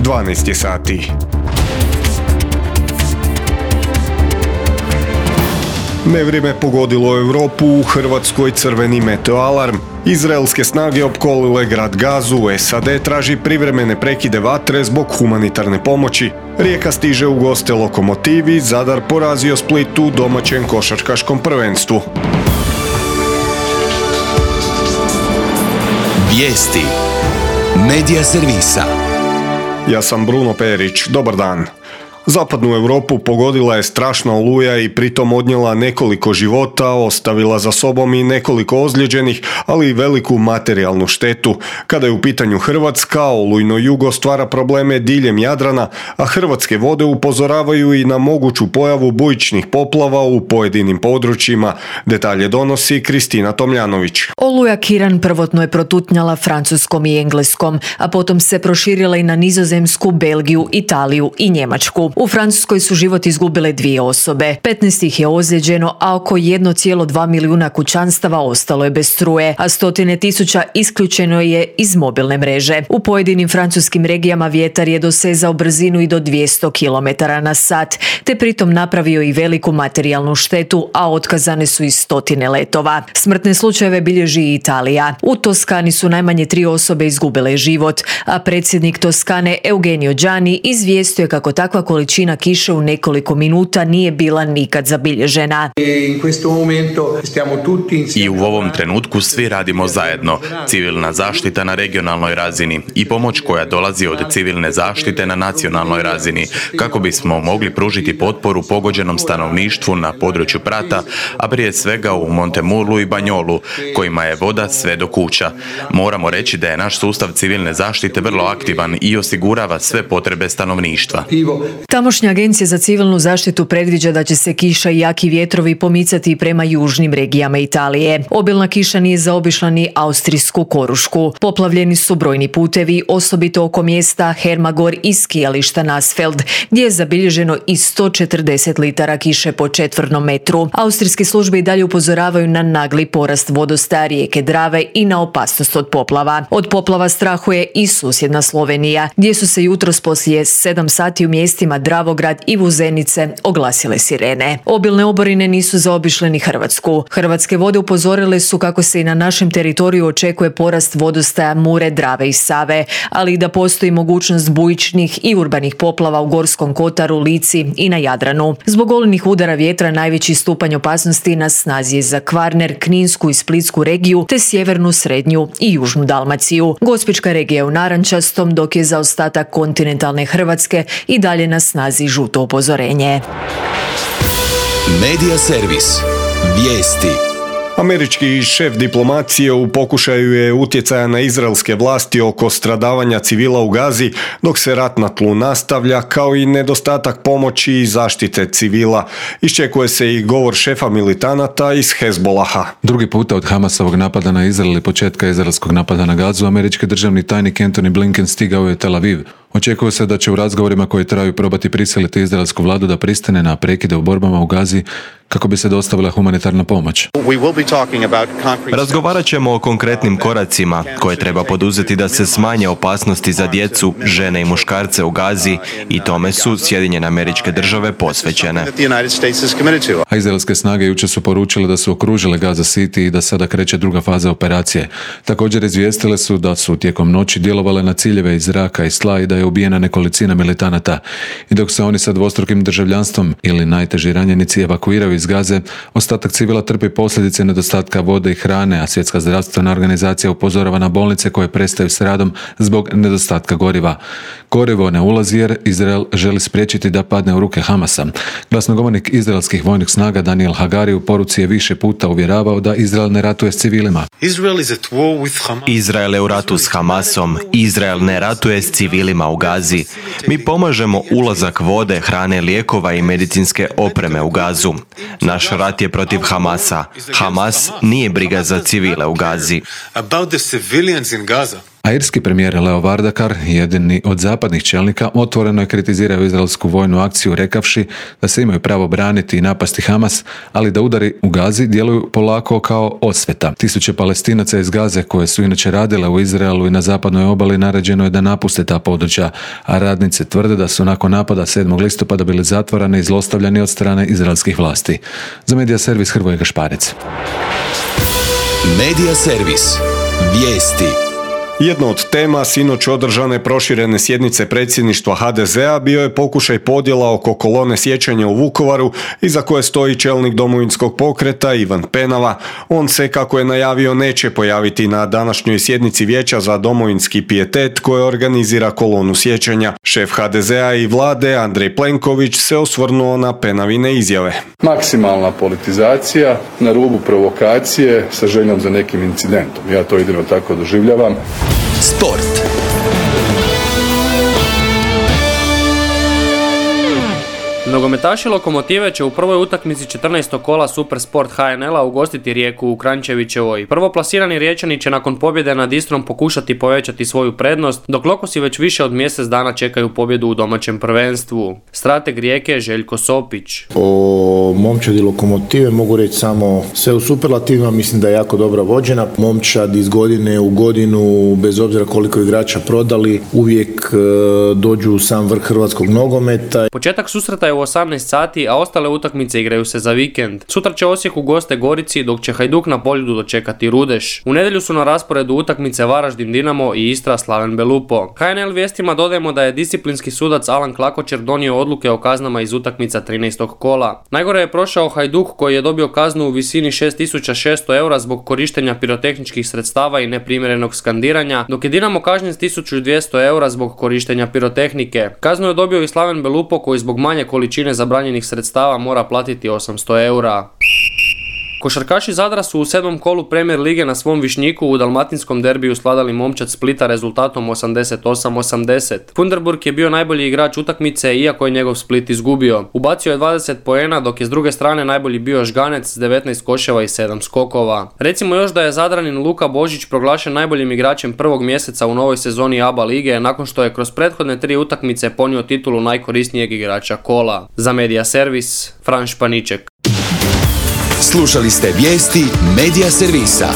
12 sati. Nevrijeme pogodilo Europu, u Hrvatskoj crveni meteoalarm. Izraelske snage opkolile grad Gazu, SAD traži privremene prekide vatre zbog humanitarne pomoći. Rijeka stiže u goste Lokomotivi, Zadar porazio Split u domaćem košarkaškom prvenstvu. Vijesti Medija servisa. Ja sam Bruno Perić, dobar dan. Zapadnu Europu pogodila je strašna oluja i pritom odnijela nekoliko života, ostavila za sobom i nekoliko ozlijeđenih, ali i veliku materijalnu štetu. Kada je u pitanju Hrvatska, olujno jugo stvara probleme diljem Jadrana, a hrvatske vode upozoravaju i na moguću pojavu bujičnih poplava u pojedinim područjima. Detalje donosi Kristina Tomljanović. Oluja Kiran prvotno je protutnjala Francuskom i Engleskom, a potom se proširila i na Nizozemsku, Belgiju, Italiju i Njemačku. U Francuskoj su život izgubile 2 osobe, 15 ih je ozlijeđeno, a oko 1,2 milijuna kućanstava ostalo je bez struje, a stotine tisuća isključeno je iz mobilne mreže. U pojedinim francuskim regijama vjetar je dosezao brzinu i do 200 km/h, te pritom napravio i veliku materijalnu štetu, a otkazane su i stotine letova. Smrtne slučajeve bilježi i Italija. U Toskani su najmanje 3 osobe izgubile život, a predsjednik Toskane Eugenio Gianni izvijestio je kako takva količina kiše u nekoliko minuta nije bila nikad zabilježena. I u ovom trenutku svi radimo zajedno. Civilna zaštita na regionalnoj razini i pomoć koja dolazi od civilne zaštite na nacionalnoj razini, kako bismo mogli pružiti potporu pogođenom stanovništvu na području Prata, a prije svega u Montemurlu i Banjolu, kojima je voda sve do kuća. Moramo reći da je naš sustav civilne zaštite vrlo aktivan i osigurava sve potrebe stanovništva. Tamošnja agencija za civilnu zaštitu predviđa da će se kiša i jaki vjetrovi pomicati prema južnim regijama Italije. Obilna kiša nije zaobišla ni austrijsku Korušku. Poplavljeni su brojni putevi, osobito oko mjesta Hermagor i skijališta Nasfeld, gdje je zabilježeno i 140 litara kiše po četvrnom metru. Austrijske službe i dalje upozoravaju na nagli porast vodostaja rijeke Drave i na opasnost od poplava. Od poplava strahuje i susjedna Slovenija, gdje su se jutros poslije 7 sati u mjestima Dravograd i Vuzenice oglasile sirene. Obilne oborine nisu zaobišle ni Hrvatsku. Hrvatske vode upozorile su kako se i na našem teritoriju očekuje porast vodostaja Mure, Drave i Save, ali i da postoji mogućnost bujičnih i urbanih poplava u Gorskom kotaru, Lici i na Jadranu. Zbog olujnih udara vjetra najveći stupanj opasnosti na snazi je za Kvarner, Kninsku i Splitsku regiju, te sjevernu, srednju i južnu Dalmaciju. Gospićka regija je u narančastom, dok je za ostatak kontinentalne Hrvatske i dalje na snazi žuto upozorenje. Medija servis. Vijesti. Američki šef diplomacije u pokušaju je utjecaja na izraelske vlasti oko stradavanja civila u Gazi, dok se rat na tlu nastavlja, kao i nedostatak pomoći i zaštite civila. Iščekuje se i govor šefa militanata iz Hezbolaha. Drugi puta od Hamasovog napada na Izrael i početka izraelskog napada na Gazu, američki državni tajnik Antony Blinken stigao je Tel Aviv. Očekuje se da će u razgovorima koji traju probati prisiliti izraelsku vladu da pristane na prekide u borbama u Gazi kako bi se dostavila humanitarna pomoć. Razgovarat ćemo o konkretnim koracima koje treba poduzeti da se smanje opasnosti za djecu, žene i muškarce u Gazi, i tome su Sjedinjene Američke Države posvećene. A izraelske snage jučer su poručile da su okružile Gaza City i da sada kreće druga faza operacije. Također izvijestile su da su tijekom noći djelovale na ciljeve iz zraka i tla i da je ubijena nekolicina militanata. I dok se oni sa dvostrukim državljanstvom ili najteži ranjenici evakuiraju iz Gaze, ostatak civila trpi posljedice nedostatka vode i hrane, a Svjetska zdravstvena organizacija upozorava na bolnice koje prestaju s radom zbog nedostatka goriva. Gorivo ne ulazi jer Izrael želi spriječiti da padne u ruke Hamasa. Glasnogovornik izraelskih vojnih snaga Daniel Hagari u poruci je više puta uvjeravao da Izrael ne ratuje s civilima. Izrael je u ratu s Hamasom. Izrael ne ratuje s civilima u Gazi. Mi pomažemo ulazak vode, hrane, lijekova i medicinske opreme u Gazu. Naš rat je protiv Hamasa. Hamas nije briga za civile u Gazi. A irski premijer Leo Varadkar, jedini od zapadnih čelnika, otvoreno je kritizirao izraelsku vojnu akciju rekavši da se imaju pravo braniti i napasti Hamas, ali da udari u Gazi djeluju polako kao osveta. Tisuće Palestinaca iz Gaze, koje su inače radile u Izraelu i na zapadnoj obali, naređeno je da napuste ta područja, a radnice tvrde da su nakon napada 7. listopada bili zatvoreni i zlostavljani od strane izraelskih vlasti. Za Medija servis Hrvoje Gašparec. Medija servis. Vijesti. Jedna od tema sinoć održane proširene sjednice predsjedništva HDZ-a bio je pokušaj podjela oko kolone sjećanja u Vukovaru, iza koje stoji čelnik Domovinskog pokreta Ivan Penava. On se, kako je najavio, neće pojaviti na današnjoj sjednici Vijeća za domovinski pijetet koje organizira kolonu sjećanja. Šef HDZ-a i vlade Andrej Plenković se osvrnuo na Penavine izjave. Maksimalna politizacija na rubu provokacije sa željom za nekim incidentom. Ja to jedino tako doživljavam. Sport. Nogometaši Lokomotive će u prvoj utakmici 14. kola Supersport HNL-a ugostiti Rijeku u Kranjčevićevoj. Prvoplasirani Riječani će nakon pobjede nad Istrom pokušati povećati svoju prednost, dok Lokosi već više od mjesec dana čekaju pobjedu u domaćem prvenstvu. Strateg Rijeke je Željko Sopić. O momčadi Lokomotive mogu reći samo sve u superlativima, mislim da je jako dobra vođena. Momčad iz godine u godinu, bez obzira koliko igrača prodali, uvijek dođu u sam vrh hrvatskog nogometa. Početak susreta je u 18 sati, a ostale utakmice igraju se za vikend. Sutra će Osijek u goste Gorici, dok će Hajduk na Poljudu dočekati Rudeš. U nedjelju su na rasporedu utakmice Varaždin Dinamo i Istra Slaven Belupo. HNL vijestima dodajemo da je disciplinski sudac Alan Klakočer donio odluke o kaznama iz utakmica 13. kola. Najgore je prošao Hajduk, koji je dobio kaznu u visini 6.600 eura zbog korištenja pirotehničkih sredstava i neprimjerenog skandiranja, dok je Dinamo kažnjen s 1.200 eura zbog korištenja pirotehnike. Kaznu je dobio i Slaven Belupo, koji zbog manje količine zabranjenih sredstava mora platiti 800 eura. Košarkaši Zadra su u 7. kolu Premier lige na svom Višnjiku u dalmatinskom derbiju svladali Momčad Splita rezultatom 88-80. Funderburg je bio najbolji igrač utakmice, iako je njegov Split izgubio. Ubacio je 20 poena, dok je s druge strane najbolji bio Žganec s 19 koševa i 7 skokova. Recimo još da je Zadranin Luka Božić proglašen najboljim igračem prvog mjeseca u novoj sezoni ABA lige, nakon što je kroz prethodne 3 utakmice ponio titulu najkorisnijeg igrača kola. Za Medija servis, Fran Španiček. Slušali ste vijesti Medija servisa.